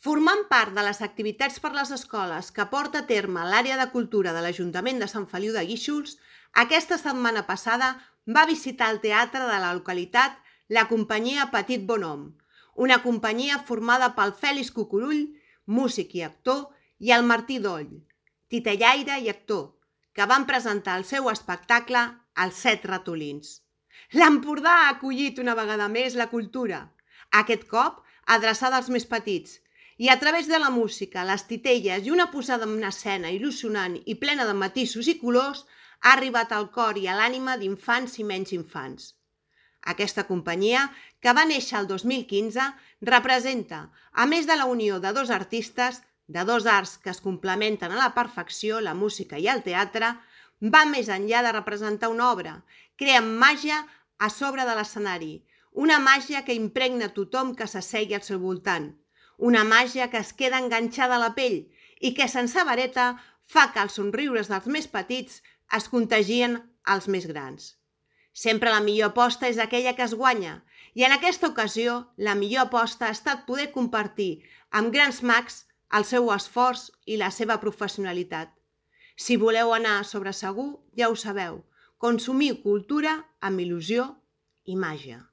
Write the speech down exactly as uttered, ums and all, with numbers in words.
Formant part de les activitats per les escoles que porta a terme l'àrea de cultura de l'Ajuntament de Sant Feliu de Guíxols, aquesta setmana passada va visitar el teatre de la localitat la companyia Petit Bonhomme, una companyia formada pel Fèlix Cucurull, músic i actor, i el Martí Doll, titellaire i actor, que van presentar el seu espectacle Els Set Ratolins. L'Empordà ha acollit una vegada més la cultura, aquest cop adreçada als més petits, i a través de la música, les titelles i una posada en escena il·lusionant i plena de matisos i colors, ha arribat al cor i a l'ànima d'infants i menys infants. Aquesta companyia, que va néixer el dos mil quinze, representa, a més de la unió de dos artistes, de dos arts que es complementen a la perfecció, la música i el teatre, va més enllà de representar una obra, crea màgia a sobre de l'escenari, una màgia que impregna tothom que s'assegui al seu voltant, una màgia que es queda enganxada a la pell i que, sense vareta, fa que els somriures dels més petits es contagien als més grans. Sempre la millor aposta és aquella que es guanya, i en aquesta ocasió la millor aposta ha estat poder compartir amb grans mags el seu esforç i la seva professionalitat. Si voleu anar sobre segur, ja ho sabeu, consumiu cultura amb il·lusió i màgia.